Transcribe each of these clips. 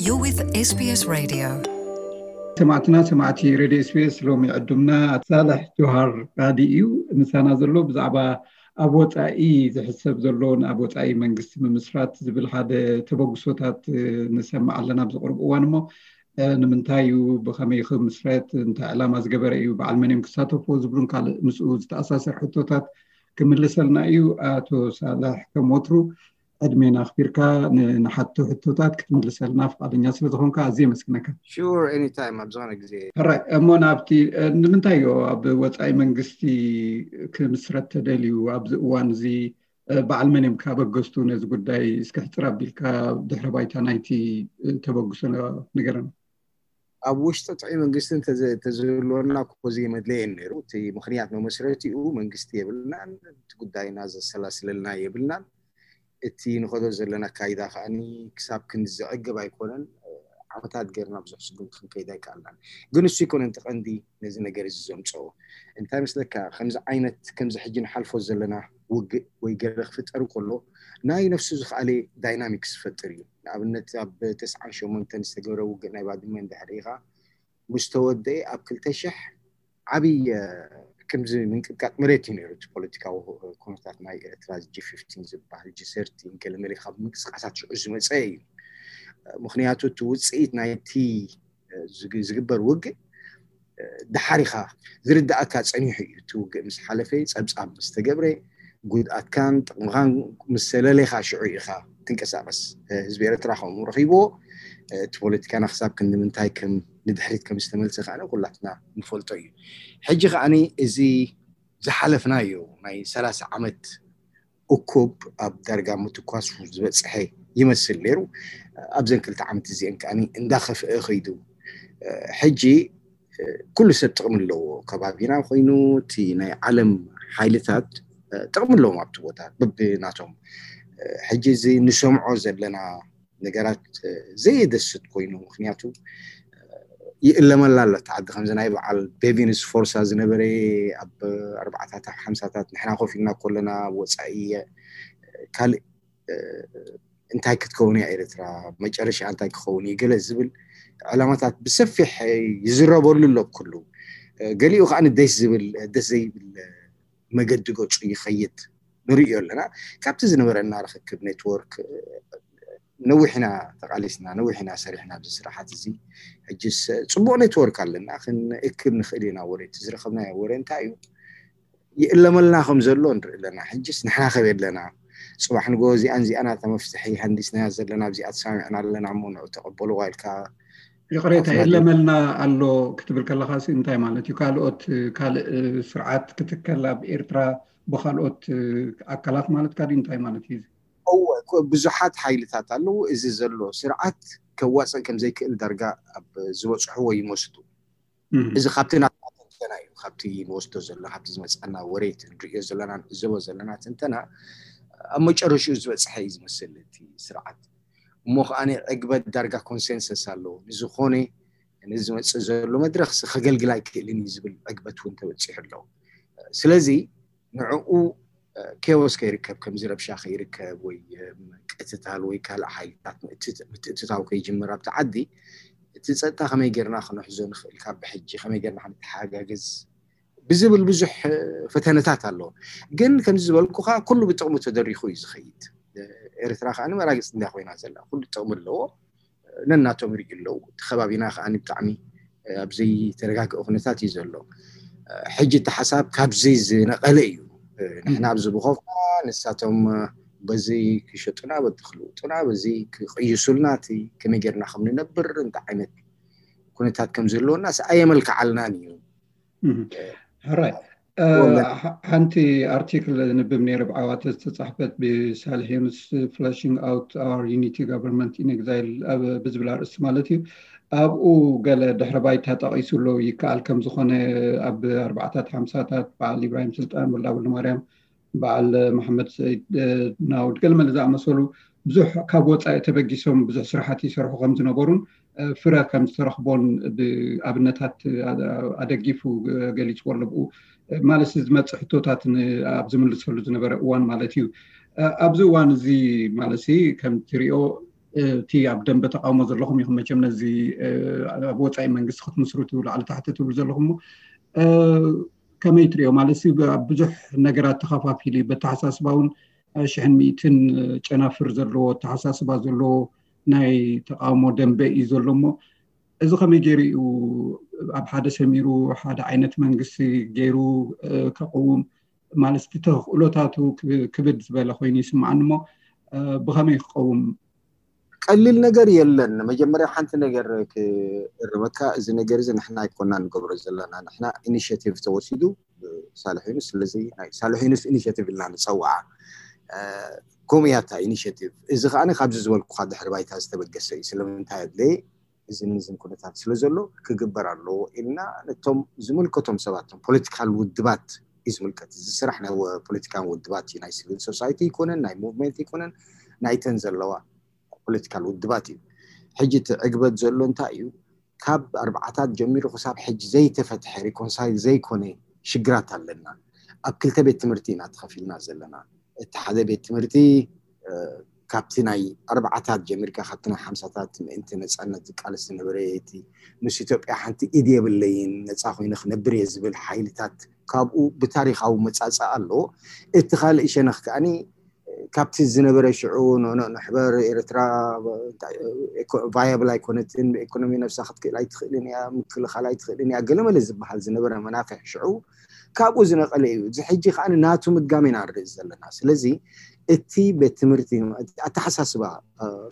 You're with S B S Radio. ሰማዕትና ሰማዕቲ ሬድዮ ኤስቢኤስ፣ ሎሚ ዕዱምና ሳልሕ ጆሃር ቃዲ እዩ። ምሳና ዘሎ ብዛዕባ ኣብ ወፃኢ ዝሕሰብ ዘሎ ንኣብ ወፃኢ መንግስቲ ምምስራት ዝብል ሓደ ተበግሶታት ንሰምዕ ኣለና ኣብዚ ቅርብ እዋን። እሞ ንምንታይ እዩ፣ ብኸመይ ክምስረት፣ እንታይ ዕላማ ዝገበረ እዩ፣ በዓል መን እዮም ክሳተፍዎ ዝብሉን ካልእ ምስኡ ዝተኣሳሰር ሕቶታት ክምልሰልና እዩ። ኣቶ ሳልሕ፣ ከም ወትሩ ዕድሜና ኣኽቢርካ ንሓቶ ሕቶታት ክትምልሰልና ፍቓደኛ ስለ ዝኾንካ ኣዝየ የመስግነካ። Sure, anytime ኣብ ዝኾነ ግዜ። ሕራይ እሞ ናብቲ ንምንታይ እዮ ኣብ ወፃኢ መንግስቲ ክምስረት ተደልዩ ኣብዚ እዋን እዚ? በዓል መን እዮም ካበገስቱ ነዚ ጉዳይ እስኪ ሕፅር ኣቢልካ ድሕረ ባይታ ናይቲ ተበግሶ ንገረና። ኣብ ውሽጢ ጥዑይ መንግስቲ ተዝህልወና ኮዚ መድለየን ነይሩ። እቲ ምክንያት መመስረቲኡ መንግስቲ የብልናን፣ እቲ ጉዳይና ዘሰላስለልና የብልናን። እቲ ንኸዶ ዘለና ኣካይዳ ከዓኒ ክሳብ ክንዲ ዘዕግብ ኣይኮነን። ዓመታት ገርና ብዙሕ ስጉምቲ ክንከይድ ኣይከኣልናን። ግን እሱ ኣይኮነን እቲ ቀንዲ ነዚ ነገር እዚ ዘምፀኦ። እንታይ መስለካ፣ ከምዚ ዓይነት ከምዚ ሕጂ ንሓልፎ ዘለና ውግእ ወይ ገለ ክፍጠር ከሎ ናይ ነፍሱ ዝኸኣለ ዳይናሚክስ ዝፈጥር እዩ። ንኣብነት ኣብ ተስዓን ሸሞንተን ዝተገብረ ውግእ ናይ ባድመ እንድሕር ኢኻ ምስ ተወደአ ኣብ ክልተ ሽሕ ዓብይ ከምዚ ምንቅጥቃጥ መሬት እዩ ነይሩ። እቲ ፖለቲካዊ ኩነታት ናይ ኤርትራ ጂ ፊፍቲን ዝበሃል ጂ ሰርቲን ገለመለ ካብ ምንቅስቃሳት ሽዑ ዝመፀ እዩ። ምክንያቱ እቲ ውፅኢት ናይቲ ዝግበር ውግእ ድሓር ኢኻ ዝርዳእካ ጸኒሑ እዩ። እቲ ውግእ ምስ ሓለፈ ጸብጻብ ምስ ተገብረ ጉድኣትካን ጥቕምኻን ምስ ሰለሌኻ ሽዑ ኢኻ ትንቀሳቐስ። ህዝቢ ኤርትራ ከምኡ ረኺብዎ። እቲ ፖለቲካና ክሳብ ክንዲ ምንታይ ከም ንድሕሪት ከም ዝተመልሰ ከኣ ኩላትና ንፈልጦ እዩ። ሕጂ ከኣ እዚ ዝሓለፍናዮ ናይ ሰላሳ ዓመት እኩብ ኣብ ዳርጋ ምትኳስ ዝበፅሐ ይመስል ነይሩ። ኣብዘን ክልተ ዓመት እዚአን ከኣ እንዳኸፍአ ኸይዱ። ሕጂ ኩሉ ሰብ ጥቕሚ ኣለዎ። ከባቢና ኮይኑ እቲ ናይ ዓለም ሓይልታት ጥቕሚ ኣለዎም ኣብቲ ቦታ ብብናቶም። ሕጂ እዚ ንሰምዖ ዘለና ነገራት ዘየደስት ኮይኑ፣ ምክንያቱ ይእለመላ ኣሎ እቲ ዓዲ። ከምዚ ናይ በዓል ቤቪንስ ፎርሳ ዝነበረ ኣብ ኣርባዕታት ሓምሳታት ንሕና ኮፍ ኢልና ከለና ወፃኢ ካልእ እንታይ ክትከውን እያ ኤርትራ፣ መጨረሻ እንታይ ክኸውን እዩ ገለ ዝብል ዕላማታት ብሰፊሕ ይዝረበሉ ኣሎ ኩሉ። ገሊኡ ከዓ ደስ ዝብል ደስ ዘይብል መገዲ ገፁ ይኸይድ ንርእዮ ኣለና። ካብቲ ዝነበረና ርክክብ ኔትወርክ ነዊሕ ኢና ተቃሊስና፣ ነዊሕ ኢና ሰሪሕና ኣብዚ ስራሓት እዚ። ሕጅስ ፅቡቅ ኔትወርክ ኣለና፣ ክንእክብ ንኽእል ኢና። ወረ እቲ ዝረኸብናዮ ወረ እንታይ እዩ ይእለመልና ከም ዘሎ ንርኢ ኣለና። ሕጅስ ንሕና ከበይ ኣለና? ፅባሕ ንጎ እዚኣን እዚኣና ተመፍትሒ ሃንዲስናያ ዘለና ኣብዚኣ ተሰማሚዕና ኣለና እሞ ንዑ ተቐበልዋ ኢልካ ይቕሬታ ይእለመልና ኣሎ ክትብል ከለኻ ሲ እንታይ ማለት እዩ? ካልኦት ካልእ ስርዓት ክትከል ኣብ ኤርትራ ብካልኦት ኣካላት ማለትካ ድዩ? እንታይ ማለት እዩ? እወ ብዙሓት ሓይልታት ኣለዉ። እዚ ዘሎ ስርዓት ከዋፅእ ከም ዘይክእል ዳርጋ ኣብ ዝበፅሕዎ ይመስሉ። እዚ ካብቲ ናትና ትንተና እዩ፣ ካብቲ ንወስዶ ዘለና፣ ካብቲ ዝመፅኣና ወሬት ንሪኦ ዘለና ንዕዘቦ ዘለና ትንተና ኣብ መጨረሽኡ ዝበፅሐ እዩ ዝመስል እቲ ስርዓት። እሞ ከዓ ዕግበት ዳርጋ ኮንሰንሰስ ኣለዎ። ንዝኾነ ነዚ ዝመፅእ ዘሎ መድረኽ ከገልግል ኣይክእልን እዩ ዝብል ዕግበት እውን ተበፂሑ ኣለዎ። ስለዚ ንዕኡ ኬዎስ ከይርከብ፣ ከምዚ ረብሻ ከይርከብ ወይ ቅትታል ወይ ካልእ ሓይልታት ምትእትታው ከይጅምር ኣብቲ ዓዲ እቲ ፀጥታ ከመይ ጌርና ክነሕዞ ንኽእል፣ ካብ ብሕጂ ከመይ ጌርና ክንተሓጋገዝ ብዝብል ብዙሕ ፈተነታት ኣሎ። ግን ከምዚ ዝበልኩኻ ኩሉ ብጥቕሙ ተደሪኹ እዩ ዝኸይድ። ኤርትራ ከዓ ንመራግፅ እንዳ ኮይና ዘላ ኩሉ ጥቕሚ ኣለዎ። ነናቶም ይርእዩ ኣለዉ። እቲ ከባቢና ከዓ ብጣዕሚ ኣብ ዘይተረጋግአ ኩነታት እዩ ዘሎ። ሕጂ እቲ ሓሳብ ካብዚ ዝነቐለ እዩ። ንሕና ኣብዚ ብኾፍና ንሳቶም በዚ ክሸጡና በዚ ክልውጡና በዚ ክቕይሱልና እቲ ከመይ ጌርና ከም ንነብር እንታይ ዓይነት ኩነታት ከም ዝህልወና ኣየመልክዓልናን እዩ። ሕራይ ሓንቲ ኣርቲክል ንብብ ነይረ ብዓዋተ ዝተፃሕፈት ብሳልሕ ዮኑስ ፍለሽንግ ኣውት ኣወር ዩኒቲ ጋቨርንመንት ኢን ኤግዛይል ብዝብል ኣርእስቲ ማለት እዩ። ኣብኡ ገለ ድሕረ ባይታ ጠቒሱ ኣሎ። ይከኣል ከም ዝኾነ ኣብ ኣርባዕታት ሓምሳታት በዓል ኢብራሂም ስልጣን፣ ወልዳ ወልደማርያም፣ በዓል መሓመድ ሰይድ ናውድ ገለመለ ዝኣመሰሉ ብዙሕ ካብ ወፃኢ ተበጊሶም ብዙሕ ስራሓት ይሰርሑ ከም ዝነበሩን ፍረ ከም ዝተረኽቦን ብኣብነታት ኣደጊፉ ገሊፅዎ ኣሎ። ብኡ ማለት ዝመፅእ ሕቶታት ኣብ ዝምልሰሉ ዝነበረ እዋን ማለት እዩ። ኣብዚ እዋን እዚ ማለት ከም ትሪኦ እቲ ኣብ ደንበ ተቃውሞ ዘለኹም ኢኹም መቸም ነዚ ኣብ ወፃኢ መንግስቲ ክትምስርቱ ላዕሊ ታሕቲ ትብሉ ዘለኹም ከመይ ትሪኦ ማለት ኣብ ብዙሕ ነገራት ተኸፋፊሉ በተሓሳስባ እውን ሽሕን ሚእትን ጨናፍር ዘለዎ ኣተሓሳስባ ዘለዎ ናይ ተቃውሞ ደንበ እዩ ዘሎ እሞ እዚ ከመይ ገይሩ እዩ ኣብ ሓደ ሰሚሩ ሓደ ዓይነት መንግስቲ ገይሩ ከቅውም ማለት እቲ ተኽእሎታቱ ክብድ ዝበለ ኮይኑ ይስምዓኒ እሞ ብኸመይ ክቀውም ቀሊል ነገር የለን። መጀመርያ ሓንቲ ነገር ክእርመካ፣ እዚ ነገር እዚ ንሕና ኣይኮና ንገብሮ ዘለና፣ ንሕና ኢኒሽቲቭ ተወሲዱ ሳልሕ ዩኑስ። ስለዚ ናይ ሳልሕ ዩኑስ ኢኒሽቲቭ ኢልና ንፀውዓ። ከምኡ እያ እታ ኢኒሽቲቭ። እዚ ከዓ ካብዚ ዝበልኩካ ድሕሪ ባይታ ዝተበገሰ እዩ። ስለምንታይ ኣድለየ? እዝን እዝን ኩነታት ስለ ዘሎ ክግበር ኣለዎ ኢልና ነቶም ዝምልከቶም ሰባት፣ ቶም ፖለቲካል ውድባት እዩ ዝምልከት። እዚ ስራሕ ናይ ፖለቲካን ውድባት እዩ። ናይ ሲቪል ሶሳይቲ ይኮነን፣ ናይ ሙቭመንት ይኮነን፣ ናይተን ዘለዋ ፖለቲካል ውድባት እዩ። ሕጂ እቲ ዕግበት ዘሎ እንታይ እዩ? ካብ ኣርባዓታት ጀሚሩ ክሳብ ሕጂ ዘይተፈትሐ ሪኮንሳይል ዘይኮነ ሽግራት ኣለና። ኣብ ክልተ ቤት ትምህርቲ ኢና ተኸፊልና ዘለና። እቲ ሓደ ቤት ትምህርቲ ካብቲ ናይ ኣርባዓታት ጀሚርካ ካብቲ ናይ ሓምሳታት ምእንቲ ነፃነት ዝቃለስ ዝነበረ እቲ ምስ ኢትዮጵያ ሓንቲ ኢድ የብለይን ነፃ ኮይነ ክነብር እየ ዝብል ሓይልታት ካብኡ ብታሪካዊ መፃፃ ኣሎ። እቲ ካልእ ሸነኽ ከዓኒ ካብቲ ዝነበረ ሽዑ ንሕበር ኤርትራ ቫያብል ኣይኮነትን፣ ብኢኮኖሚ ነብሳ ክትክእል ኣይትኽእልን እያ፣ ምክልኻል ኣይትኽእልን እያ፣ ገለመለ ዝበሃል ዝነበረ መናፍሕ ሽዑ ካብኡ ዝነቐለ እዩ። እዚ ሕጂ ከዓ ናቱ ምድጋም ኢና ንርኢ ዘለና። ስለዚ እቲ ቤት ትምህርቲ ኣተሓሳስባ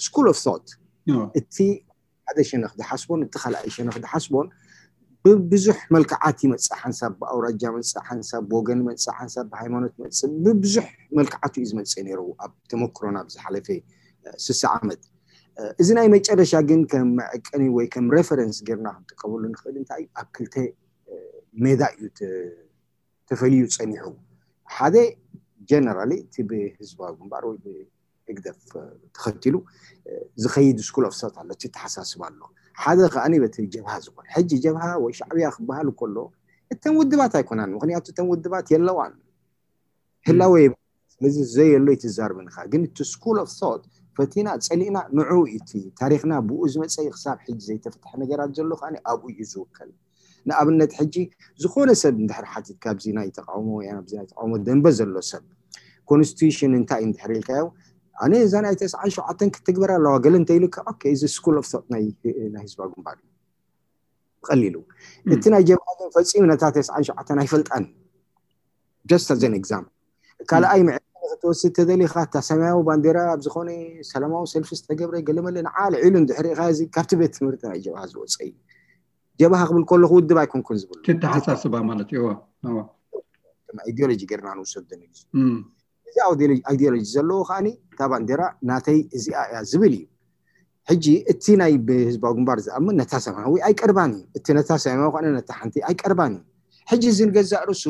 ስኩል ኦፍ ቶት እቲ ሓደ ሸነኽ ዝሓስቦን እቲ ካልኣይ ሸነኽ ዝሓስቦን ብብዙሕ መልክዓት ይመፅእ። ሓንሳብ ብኣውራጃ መፅእ፣ ሓንሳብ ብወገን መፅእ፣ ሓንሳብ ብሃይማኖት መፅእ፣ ብብዙሕ መልክዓቱ እዩ ዝመፅእ ነይሩ ኣብ ተመክሮና ኣብ ዝሓለፈ ስሳ ዓመት። እዚ ናይ መጨረሻ ግን ከም መዐቀኒ ወይ ከም ሬፈረንስ ጌርና ክንጥቀመሉ ንኽእል እንታይ እዩ ኣብ ክልተ ሜዳ እዩ ተፈልዩ ፀኒሑ። ሓደ ጀነራሊ እቲ ብህዝባዊ ግንባር ወይ ብህግደፍ ተኸቲሉ ዝኸይድ ስኩል ኦፍ ቶት ኣሎ፣ እቲ ተሓሳስባ ኣሎ። ሓደ ከዓኒ በቲ ጀብሃ ዝኾነ ሕጂ ጀብሃ ወይ ሻዕብያ ክበሃል ከሎ እተን ውድባት ኣይኮናን። ምክንያቱ እተን ውድባት የለዋን ህላወ የብለን። ስለዚ ዘየሎ ይትዛርብንኻ ግን እቲ ስኩል ኦፍ ቶት ፈቲና ፀሊእና ንዑ እቲ ታሪክና ብኡ ዝመፀ ክሳብ ሕጂ ዘይተፈትሐ ነገራት ዘሎ ከዓ ኣብኡ እዩ ዝውከል። ንኣብነት ሕጂ ዝኾነ ሰብ እንድሕር ሓቲት ካብዚ ናይ ተቃውሞ ወይ ኣብዚ ናይ ተቃውሞ ደንበ ዘሎ ሰብ ኮንስቲቱሽን እንታይ እንድሕር ኢልካዮ ኣነ እዛ ናይ ተስዓን ሸውዓተን ክትግበር ኣለዋ ገለ እንተኢሉካ ኦኬ እዚ ስኩል ኦፍ ቶት ናይ ህዝባዊ ግንባር እዩ። ብቐሊሉ እቲ ናይ ጀብሃ ግን ፈፂሙ ነታ ተስዓን ሸውዓተን ኣይፈልጣን። Just as an example ካልኣይ መዐቀኒ ክትወስድ ተደሊኻ እታ ሰማያዊ ባንዴራ ኣብ ዝኾነ ሰላማዊ ሰልፊ ዝተገብረ ገለመለ ንዓ ልዒሉ እንድሕር ኢኻ እዚ ካብቲ ቤት ትምህርቲ ናይ ጀብሃ ዝወፀ እዩ። ጀብሃ ክብል ከለኹ ውድብ ኣይኮንኩን ዝብል ተተሓሳስባ ማለት እዩ። ከም ኣይዲዮሎጂ ጌርና ንውሰዶ ንግዚ እዚ ኣይዲዮሎጂ ዘለዎ ከዓኒ እታ ባንዴራ ናተይ እዚኣ እያ ዝብል እዩ። ሕጂ እቲ ናይ ብህዝባዊ ግንባር ዝኣምን ነታ ሰማያዊ ኣይቀርባን እዩ። እቲ ነታ ሰማያዊ ከነ ነታ ሓንቲ ኣይቀርባን እዩ። ሕጂ እዚ ንገዛእ ርእሱ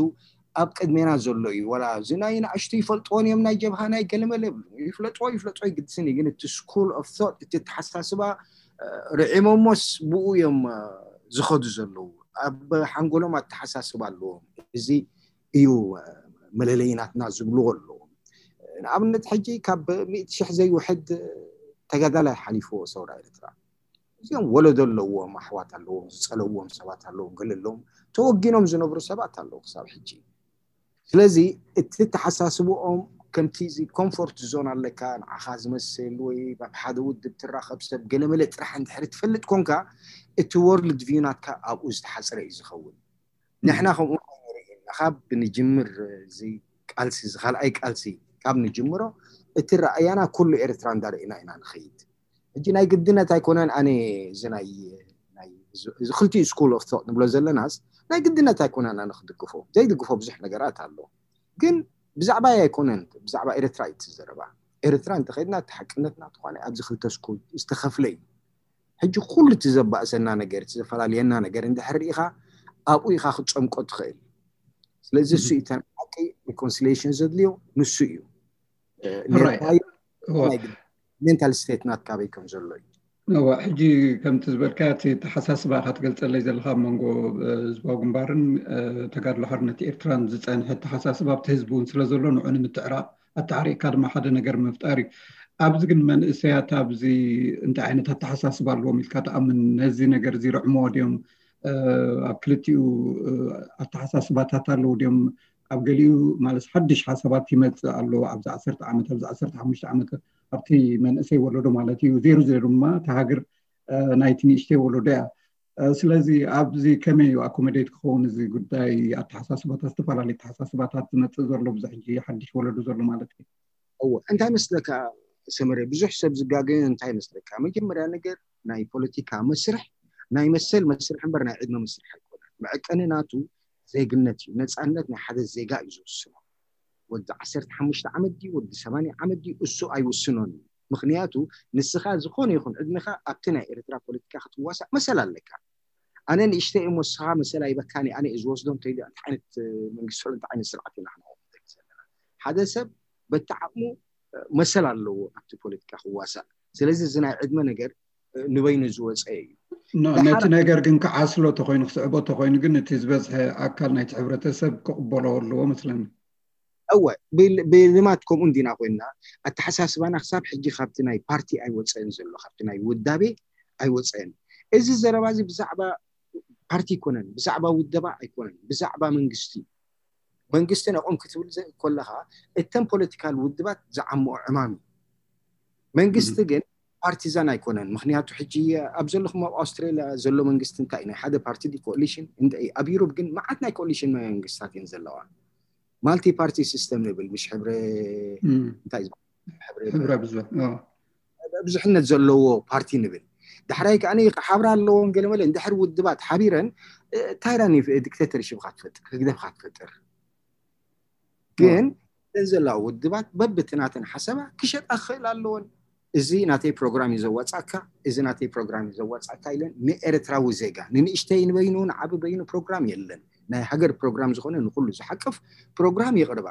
ኣብ ቅድሜና ዘሎ እዩ። ወላ እዚ ናይ ንኣሽቱ ይፈልጥዎን እዮም ናይ ጀብሃ ናይ ገለመለ ይብሉ ይፍለጥዎ ይፍለጥዎ ይግድስን እዩ። ግን እቲ ስኩል ኦፍ ቶት እቲ ተሓሳስባ ርዒሞሞስ ብኡ እዮም ዝኸዱ ዘለዉ። ኣብ ሓንጎሎም ኣተሓሳስባ ኣለዎም። እዚ እዩ መለለይ ናትና ዝብልዎ ኣለዎም። ንኣብነት ሕጂ ካብ ሚእቲ ሽሕ ዘይውሕድ ተጋዳላይ ሓሊፍዎ ሰውራ ኤርትራ እዚኦም ወለዶ ኣለዎም፣ ኣሕዋት ኣለዎም፣ ዝፀለዎም ሰባት ኣለዎም፣ ገለ ኣለዎም ተወጊኖም ዝነብሩ ሰባት ኣለዉ ክሳብ ሕጂ። ስለዚ እቲ ተሓሳስብኦም ከምቲ እዚ ኮምፎርት ዞን ኣለካ ንዓኻ ዝመስል ወይ ኣብ ሓደ ውድብ ትራኸብ ሰብ ገለመለ ጥራሕ እንድሕሪ ትፈልጥ ኮንካ እቲ ወርልድ ቪው ናትካ ኣብኡ ዝተሓፅረ እዩ ዝኸውን። ንሕና ከምኡ ንርኢ ካብ ንጅምር እዚ ቃልሲ እዚ ካልኣይ ቃልሲ ካብ ንጅምሮ እቲ ረኣያና ኩሉ ኤርትራ እንዳርኢና ኢና ንኸይድ። ሕጂ ናይ ግድነት ኣይኮነን ኣነ እዚ ናይ እዚ ክልቲኡ ስኩል ኦፍ ቶት ንብሎ ዘለናስ ናይ ግድነት ኣይኮነን ኣነ ክድግፎ ዘይድግፎ ብዙሕ ነገራት ኣሎ። ግን ብዛዕባ ኣይኮነን ብዛዕባ ኤርትራ እዩ ትዘረባ። ኤርትራ እንተኸድና እቲ ሓቅነትና ትኾነ ኣብዚ ክልተ ስኩል ዝተኸፍለ እዩ። ሕጂ ኩሉ እቲ ዘባእሰና ነገር እቲ ዘፈላለየና ነገር እንድሕር ርኢኻ ኣብኡ ኢኻ ክትፀምቆ ትኽእል። ስለዚ እሱ እዩ ተን ሓቂ ሪኮንሲሊሽን ዘድልዮ ንሱ እዩ። ሜንታል ስቴት ናትካ በይ ከም ዘሎ እዩ። ሕጂ ከምቲ ዝበልካ እቲ ተሓሳስባ ኢካ ትገልፀለይ ዘለካ ኣብ መንጎ ህዝባዊ ግንባርን ተጋድሎ ሓርነት ኤርትራን ዝፀንሐ ተሓሳስባ ኣብቲ ህዝቢ እውን ስለ ዘሎ ንዑ ንምትዕራቕ ኣተዓሪቕካ ድማ ሓደ ነገር ምፍጣር እዩ። ኣብዚ ግን መንእሰያት ኣብዚ እንታይ ዓይነት ኣተሓሳስባ ኣለዎም ኢልካ ትኣምን? ነዚ ነገር እዚ ርዕሞ ድዮም? ኣብ ክልቲኡ ኣተሓሳስባታት ኣለዉ ድዮም? ኣብ ገሊኡ ማለት ሓድሽ ሓሳባት ይመፅእ ኣሎ ኣብዚ ዓሰርተ ዓመት፣ ኣብዚ ዓሰርተ ሓሙሽተ ዓመት ኣብቲ መንእሰይ ወለዶ ማለት እዩ። ዜሩ ዜሩ ድማ ተሃገር ናይቲ ንእሽተይ ወለዶ እያ። ስለዚ ኣብዚ ከመይ እዩ ኣኮመዴት ክኸውን እዚ ጉዳይ ኣተሓሳስባታት፣ ዝተፈላለዩ ኣተሓሳስባታት ዝመፅእ ዘሎ ብዙ ሕጂ ሓድሽ ወለዶ ዘሎ ማለት እዩ? እወ እንታይ መስለካ ሰመረ፣ ብዙሕ ሰብ ዝጋገ እንታይ መስለካ፣ መጀመርያ ነገር ናይ ፖለቲካ መስርሕ ናይ መሰል መስርሕ እምበር ናይ ዕድመ መስርሕ ኣይኮነን። መዐቀኒ ናቱ ዜግነት እዩ። ነፃነት ናይ ሓደ ዜጋ እዩ ዝውስኖ። ወዲ ዓሰርተ ሓሙሽተ ዓመት ድዩ ወዲ ሰማንያ ዓመት ድዩ እሱ ኣይውስኖን እዩ። ምክንያቱ ንስኻ ዝኾነ ይኹን ዕድሜኻ ኣብቲ ናይ ኤርትራ ፖለቲካ ክትዋሳእ መሰል ኣለካ። ኣነ ንእሽተይ እሞ ንስኻ መሰል ኣይበካን እየ፣ ኣነ እየ ዝወስዶ እንተኢሉ እንታይ ዓይነት መንግስቲ እንታይ ዓይነት ስርዓት ኢና ንኸውን ዘለና? ሓደ ሰብ በቲ ዓቕሙ መሰል ኣለዎ ኣብቲ ፖለቲካ ክዋሳእ። ስለዚ እዚ ናይ ዕድመ ነገር ንበይኑ ዝወፀ እዩ። ነቲ ነገር ግን ክዓስሎ ተኮይኑ ክስዕቦ ተኮይኑ ግን እቲ ዝበዝሐ ኣካል ናይቲ ሕብረተሰብ ክቕበሎ ኣለዎ መስለኒ። እወ ብልማት ከምኡ እንዲና ኮይና ኣተሓሳስባና ክሳብ ሕጂ ካብቲ ናይ ፓርቲ ኣይወፀን ዘሎ፣ ካብቲ ናይ ውዳቤ ኣይወፀን። እዚ ዘረባ እዚ ብዛዕባ ፓርቲ ኣይኮነን፣ ብዛዕባ ውደባ ኣይኮነን፣ ብዛዕባ መንግስቲ መንግስቲ ነቆም ክትብል ከለካ እተን ፖለቲካል ውድባት ዝዓምኦ ዕማም እዩ። መንግስቲ ግን ፓርቲዛን ኣይኮነን። ምክንያቱ ሕጂ ኣብ ዘለኹም ኣብ ኣውስትራሊያ ዘሎ መንግስቲ እንታይ ናይ ሓደ ፓርቲ ዲ ኮሊሽን እንደ ኣብ ዩሮፕ ግን መዓት ናይ ኮሊሽን መንግስታት እየን ዘለዋ። ማልቲ ፓርቲ ሲስተም ንብል ምሽ ሕብረ እንታይ ሕብረ ብዙሕ ብዙሕነት ዘለዎ ፓርቲ ንብል። ዳሕራይ ከዓ ሓብራ ኣለዎም ገለመለ እንድሕር ውድባት ሓቢረን ታይራን ዲክቴተርሽፕ ክትፈጥር ህግደፍ ክትፈጥር ግን እተን ዘለዋ ውድባት በብትናተን ሓሰባ ክሸጣ ክኽእል ኣለዎን። እዚ ናተይ ፕሮግራም እዩ ዘዋፃካ፣ እዚ ናተይ ፕሮግራም እዩ ዘዋፃካ ኢለን ንኤርትራዊ ዜጋ ንንእሽተይ ንበይኑ ንዓቢ በይኑ ፕሮግራም የለን። ናይ ሃገር ፕሮግራም ዝኾነ ንኩሉ ዝሓቅፍ ፕሮግራም ይቕርባ።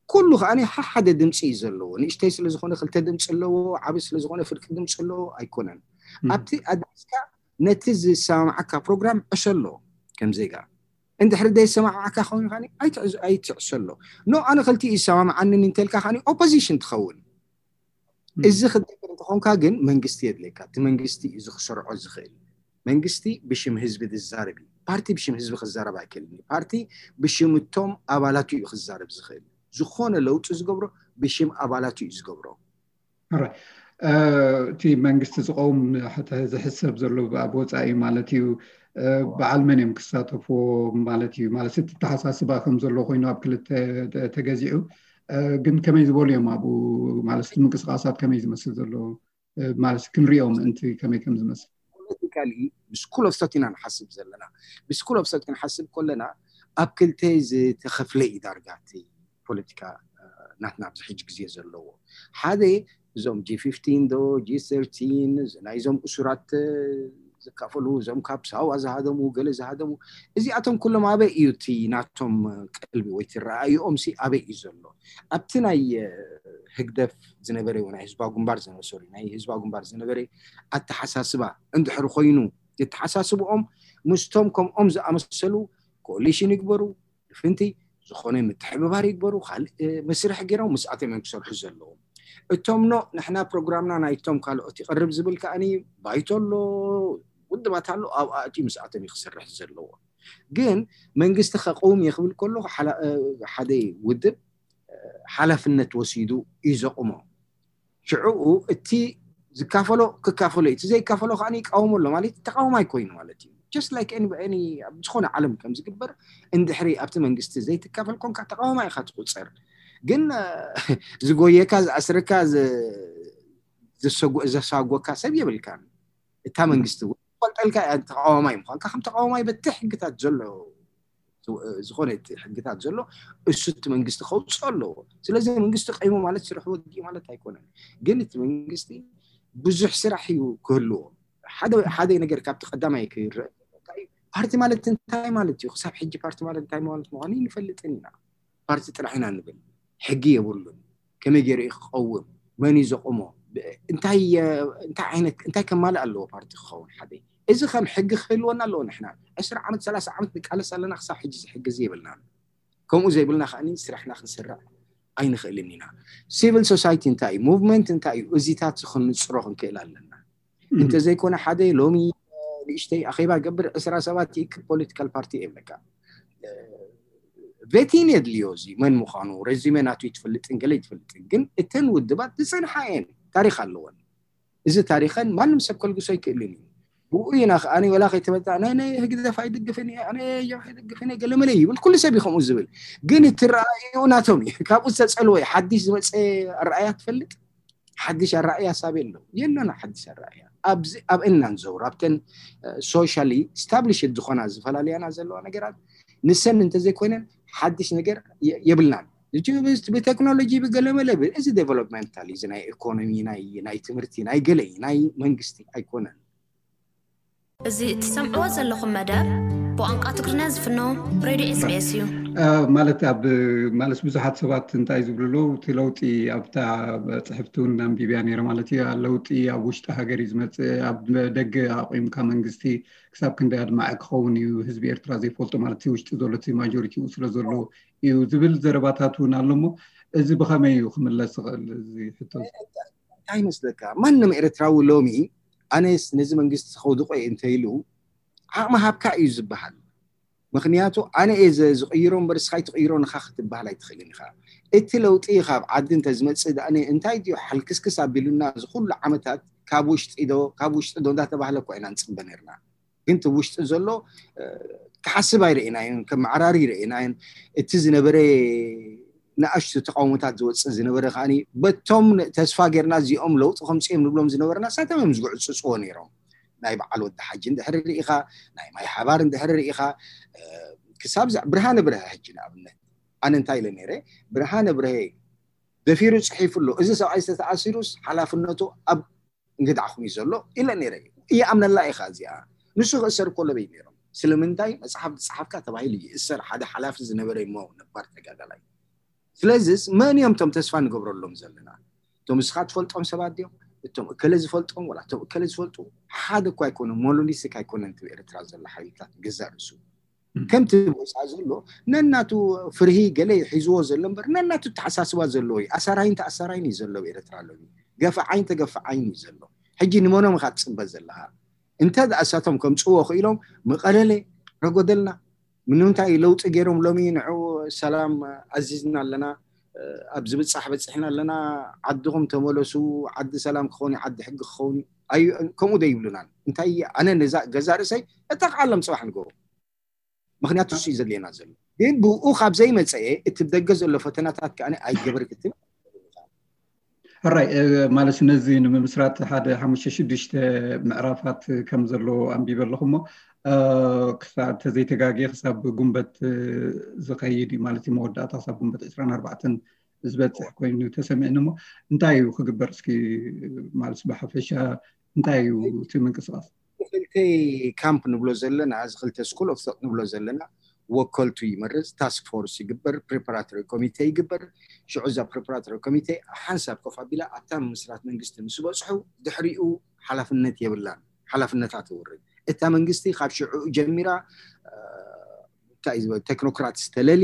ኩሉ ከዓ ሓሓደ ድምፂ እዩ ዘለዎ። ንእሽተይ ስለዝኾነ ክልተ ድምፂ ኣለዎ፣ ዓቢ ስለዝኾነ ፍርቂ ድምፂ ኣለዎ ኣይኮነን። ኣብቲ ኣድሪስካ ነቲ ዝሰማማዓካ ፕሮግራም ዕሸሎ ከም ዜጋ። እንድሕሪ ዘይሰማማዓካ ኮይኑ ከዓ ኣይትዕሸሎ። ኖ ኣነ ክልቲኡ ይሰማማዓንን እንተልካ ከዓ ኦፖዚሽን ትኸውን። እዚ ክትገብር እንተኾንካ ግን መንግስቲ የድልየካ። እቲ መንግስቲ እዚ ክሰርዖ ዝኽእል መንግስቲ ብሽም ህዝቢ ዝዛረብ እዩ። ፓርቲ ብሽም ህዝቢ ክዛረብ ኣይክእልን እዩ። ፓርቲ ብሽም እቶም ኣባላቱ እዩ ክዛረብ ዝኽእል። ዝኾነ ለውጢ ዝገብሮ ብሽም ኣባላቱ እዩ ዝገብሮ። እቲ መንግስቲ ዝቀውም ዝሕሰብ ዘሎ ኣብ ወፃኢ ማለት እዩ። በዓል መን እዮም ክሳተፍዎ ማለት እዩ? ማለት እቲ ተሓሳስባ ከም ዘሎ ኮይኑ ኣብ ክልተ ተገዚዑ ግን ከመይ ዝበሉ እዮም ኣብኡ ማለት ምንቅስቃሳት ከመይ ዝመስል ዘሎ ማለት ክንሪኦ ምእንቲ ከመይ ከም ዝመስል? ፖለቲካሊ ብስኩል ኦፍ ቶት ኢና ንሓስብ ዘለና። ብስኩል ኦፍ ቶት ክንሓስብ ከለና ኣብ ክልተ ዝተኸፍለ እዩ ዳርጋ እቲ ፖለቲካ ናትና ኣብዚ ሕጂ ግዜ ዘለዎ። ሓደ እዞም ጂ ፊፍቲን ዶ ጂ ሰርቲን ናይዞም እሱራት ዝካፈሉ እዞም ካብ ሳዋ ዝሃደሙ ገለ ዝሃደሙ እዚኣቶም ኩሎም ኣበይ እዩ እቲ ናቶም ቀልቢ ወይ እቲ ረኣይኦም ሲ ኣበይ እዩ ዘሎ? ኣብቲ ናይ ህግደፍ ዝነበረ ናይ ህዝባዊ ግንባር ዝነበረ ናይ ህዝባዊ ግንባር ዝነበረ ኣተሓሳስባ እንድሕር ኮይኑ የተሓሳስብኦም ምስቶም ከምኦም ዝኣመሰሉ ኮሊሽን ይግበሩ ፍንቲ ዝኾነ ምትሕብባር ይግበሩ ካልእ መስርሕ ገይሮም ምስኣቶም እዮም ክሰርሑ ዘለዎም። እቶም ኖ ንሕና ፕሮግራምና ናይቶም ካልኦት ይቐርብ ዝብል ከዓኒ ባይቶ ኣሎ ውድባት ኣሎ ኣብኣ እቲ ምስኣቶም እዩ ክሰርሕ ዘለዎ። ግን መንግስቲ ከቀውም እየ ክብል ከሎ ሓደ ውድብ ሓላፍነት ወሲዱ እዩ ዘቁሞ። ሽዕኡ እቲ ዝካፈሎ ክካፈሎ እቲ ዘይካፈሎ ከዓ ይቃወሞ ኣሎ ማለት ተቃውሞ ኣይኮይኑ ማለት እዩ። ጀስት ላይክ ዝኾነ ዓለም ከም ዝግበር እንድሕሪ ኣብቲ መንግስቲ ዘይትካፈል ኮንካ ተቃውሞ ኢካ ትቁፀር። ግን ዝጎየካ ዝኣስረካ ዘሳጎካ ሰብ የብልካን። እታ መንግስቲ እውን ትፈልጠልካ እያ ተቃዋማይ ምኳንካ ከም ተቃዋማይ በቲ ሕግታት ዘሎ ዝኾነ ሕግታት ዘሎ እሱ እቲ መንግስቲ ከውፅኦ ኣለዎ። ስለዚ መንግስቲ ቀይሙ ማለት ስርሑ ወዲኡ ማለት ኣይኮነን። ግን እቲ መንግስቲ ብዙሕ ስራሕ እዩ ክህልዎ። ሓደ ነገር ካብቲ ቀዳማይ ክርእ ፓርቲ ማለት እንታይ ማለት እዩ? ክሳብ ሕጂ ፓርቲ ማለት እንታይ ማለት ምኳኑ ይንፈልጥን ኢና። ፓርቲ ጥራሕ ኢና ንብል። ሕጊ የብሉን። ከመይ ገይሩ እዩ ክቀውም? መን እዩ ዘቁሞ? እንታይ እንታይ ዓይነት እንታይ ከማልእ ኣለዎ ፓርቲ ክኸውን ሓደ? እዚ ከም ሕጊ ክህልወና ኣለዎ። ንሕና ዕስራ ዓመት ሰላሳ ዓመት ንቃለስ ኣለና። ክሳብ ሕጂ እዚ ሕጊ እዚ የብልናን። ከምኡ ዘይብልና ከዓኒ ስራሕና ክንሰርዕ ኣይንኽእልን ኢና። ሲቪል ሶሳይቲ እንታይ እዩ፣ ሙቭመንት እንታይ እዩ፣ እዚታት ክንፅሮ ክንክእል ኣለና። እንተዘይኮነ ሓደ ሎሚ ንእሽተይ ኣኼባ ገብር ዕስራ ሰባት ይእክብ ፖለቲካል ፓርቲ የብለካ። ቬቲን የድልዮ፣ እዚ መን ምዃኑ ሬዚሜ ናቱ ይትፈልጥን ገለ ይትፈልጥን፣ ግን እተን ውድባት ዝፀንሓ እየን፣ ታሪክ ኣለወን። እዚ ታሪኸን ማንም ሰብ ከልግሶ ኣይክእልን እዩ። ብኡ ኢና ከኣ ወላ ከይተመጣ ናይ ናይ ህግደፍ ኣይድግፍን እየ፣ ኣነ ጀብሃ ኣይድግፍን እየ፣ ገለመለ ይብል፣ ኩሉ ሰብ እዩ ከምኡ ዝብል። ግን እቲ ረኣይኡ ናቶም እዩ። ካብኡ ዝተጸልወ ሓድሽ ዝመጸ ኣረኣያ ትፈልጥ? ሓድሽ ኣረኣያ ሳብ የለው፣ የለና ሓድሽ ኣረኣያ። ኣብዚ ኣብ እናን ዘውር ኣብተን ሶሻሊ ስታብሊሽድ ዝኾና ዝፈላለያና ዘለዋ ነገራት ንሰን እንተዘይኮይነን ሓድሽ ነገር የ- የብልናን። ብቴክኖሎጂ ብገለመለ ብ- እዚ ዴቨሎፕመንታል እዚ ናይ ኢኮኖሚ ናይ ናይ ትምህርቲ ናይ ገለ ናይ መንግስቲ ኣይኮነን። እዚ እትሰምዕዎ ዘለኹም መደብ ብቋንቋ ትግርኛ ዝፍኖ ሬድዮ ኤስቢኤስ እዩ። ማለት ኣብ ማለት ብዙሓት ሰባት እንታይ ዝብሉ ኣለዉ፣ እቲ ለውጢ ኣብታ ጽሕፍቲ እውን ኣንቢብያ ነይረ ማለት እዩ። ለውጢ ኣብ ውሽጢ ሃገር እዩ ዝመጽእ፣ ኣብ ደገ ኣቑምካ መንግስቲ ክሳብ ክንደይ ኣድማዒ ክኸውን እዩ፣ ህዝቢ ኤርትራ ዘይፈልጦ ማለት እቲ ውሽጢ ዘሎ እቲ ማጆሪቲኡ ስለ ዘሎ እዩ ዝብል ዘረባታት እውን ኣሎ። እሞ እዚ ብኸመይ እዩ ክምለስ ዝኽእል እዚ ሕቶ? እንታይ ይመስለካ፣ ማንም ኤርትራዊ ሎሚ ኣነስ ነዚ መንግስቲ ከውድቆ እየ እንተኢሉ ዓቕሚ ሃብካ እዩ ዝበሃል። ምክንያቱ ኣነ እየ ዘ- ዝቕይሮ እምበር እስኻ ኣይትቕይሮ ንኻ ክትበሃል ኣይትኽእልን ኢኻ። እቲ ለውጢ ካብ ዓዲ እንተዝመፅእ ደኣ እንታይ ድዩ ሓልክስክስ ኣቢሉና እዚ ኩሉ ዓመታት ካብ ውሽጢ ዶ ካብ ውሽጢ ዶ እንዳተባህለ እኮ ኢና ንፅበ ነርና። ግን እቲ ውሽጢ ዘሎ እ፣ ክሓስብ ኣይረእናዮን፣ ከም መዓራሪ ይረእናዮን። እቲ ዝነበረ ንኣሽቱ ተቃውሞታት ዝወፅእ ዝነበረ ከዓኒ በቶም ተስፋ ጌርና እዚኦም ለውጢ ከምፅኦም ንብሎም ዝነበርና ሳቶም እዮም ዝጉዕፅፅዎ ነይሮም። ናይ በዓል ወዲ ሓጂ እንድሕር ርኢኻ፣ ናይ ማይ ሓባር እንድሕር ርኢኻ፣ እ፣ ክሳብ ዛ- ብርሃነ ብርሀ ሕጂ ንኣብነት ኣነ እንታይ ኢለ ነይረ፣ ብርሃነ ብርሀ ደፊሩ ፅሒፉ ኣሎ፣ እዚ ሰብኣይ ዝተኣሲሩስ ሓላፍነቱ ኣብ እንግድዓኹም እዩ ዘሎ ኢለ ነይረ። ይኣምነላ ኢኻ እዚኣ። ንሱ ክእሰር እኮ ለበይ ነይሮም። ስለምንታይ መፅሓፍ ዝፀሓፍካ ተባሂሉ ይእሰር ሓደ ሓላፊ ዝነበረ እሞ ነባር ተጋዳላይ። ስለዚስ መን እዮም እቶም ተስፋ ንገብረሎም ዘለና? እቶም እስኻ ትፈልጦም ሰባት ድዮም? እቶም እከለ ዝፈልጦም ወላ እቶም እከለ ዝፈልጡ ሓደ እኮ ኣይኮነን። ሞኖሊቲክ ኣይኮነን እቲ ኤርትራ ዘሎ ሓይልታት ገዛእ ርእሱ ከምቲ ብወፃ ዘሎ ነናቱ ፍርሂ ገለ ሒዝዎ ዘሎ እምበር ነናቱ ተሓሳስባ ዘለዎ እዩ። ኣሳራይን ተኣሳራይን እዩ ዘሎ ኤርትራ ኣሎ። ገፋዓይን ተገፋዓይን እዩ ዘሎ። ሕጂ ንመኖም ኢኻ ትፅበ ዘለኻ? እንተ ደኣ እሳቶም ከምፅዎ ክኢሎም መቐለለ ረጎደልና ንምንታይ ለውጢ ገይሮም ሎሚ ንዑ ሰላም ኣዚዝና ኣለና፣ ኣብ ዝብፃሕ በፂሕና ኣለና፣ ዓድኹም ተመለሱ፣ ዓዲ ሰላም ክኸውን እዩ፣ ዓዲ ሕጊ ክኸውን እዩ። ኣዩ ከምኡ ዶ ይብሉናን? እንታይ ኣነ ነዛ ገዛ ርእሰይ እጠቕዓሎም ፅባሕ ንገሩ። ምክንያቱ እሱ እዩ ዘድልየና ዘሎ። ግን ብኡ ካብ ዘይመፀኤ እቲ ደገ ዘሎ ፈተናታት ከኣ ኣይገበር ክትብል ሕራይ ማለት ነዚ ንምምስራት ሓደ ሓሙሽተ ሽዱሽተ ምዕራፋት ከም ዘሎ ኣንቢበ ኣለኹ እሞ ክሳብ ተዘይተጋግየ ክሳብ ጉንበት ዝኸይድ እዩ ማለት እዩ። መወዳእታ ክሳብ ጉንበት ዕስራን ኣርባዕተን ዝበፅሕ ኮይኑ ተሰሚዕኒ እሞ እንታይ እዩ ክግበር እስኪ ማለት ብሓፈሻ እንታይ እዩ እቲ ምንቅስቃስ? ክልተ ካምፕ ንብሎ ዘለና እዚ ክልተ ስኩል ኦፍ ቶት ንብሎ ዘለና ወከልቱ ይመርፅ፣ ታስክ ፎርስ ይግበር፣ ፕሪፓራቶሪ ኮሚቴ ይግበር። ሽዑ እዛ ፕሪፓራቶሪ ኮሚቴ ሓንሳብ ኮፍ ኣቢላ ኣብታ ምምስራት መንግስቲ ምስ በፅሑ ድሕሪኡ ሓላፍነት የብላን፣ ሓላፍነታ ትውርድ። እታ መንግስቲ ካብ ሽዑ ጀሚራ እንታይ እዩ ዝበል ቴክኖክራትስ ተለሊ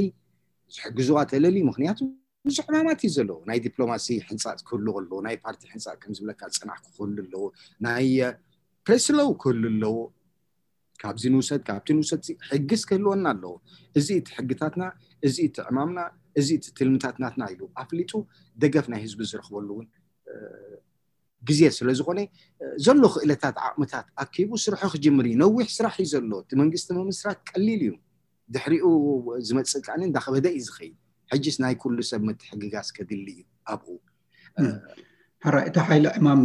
ዝሕግዝዋ ተለሊ ምክንያቱ ብዙሕ ዕማማት እዩ ዘለዎ። ናይ ዲፕሎማሲ ሕንፃፅ ክህሉ ከለዎ ናይ ፓርቲ ሕንፃፅ ከም ዝብለካ ፅናሕ ክህሉ ኣለዎ። ናይ ፕሬስ ሎው ክህሉ ኣለዎ። ካብዚ ንውሰድ ካብቲ ንውሰድ ሕግስ ክህልወና ኣለዎ። እዚ እቲ ሕግታትና፣ እዚ እቲ ዕማምና፣ እዚ እቲ ትልምታት ናትና ኢሉ ኣፍሊጡ ደገፍ ናይ ህዝቢ ዝረኽበሉ እውን ግዜ ስለ ዝኾነ ዘሎ ክእለታት ዓቕምታት ኣኪቡ ስርሑ ክጅምር እዩ። ነዊሕ ስራሕ እዩ ዘሎ። እቲ መንግስቲ ምምስራት ቀሊል እዩ። ድሕሪኡ ዝመፅእ ከዓኒ እንዳኸበደ እዩ ዝኸይድ። ሕጅስ ናይ ኩሉ ሰብ ምትሕግጋዝ ከድሊ እዩ ኣብኡ። ሕራይ እቲ ሓይሊ ዕማም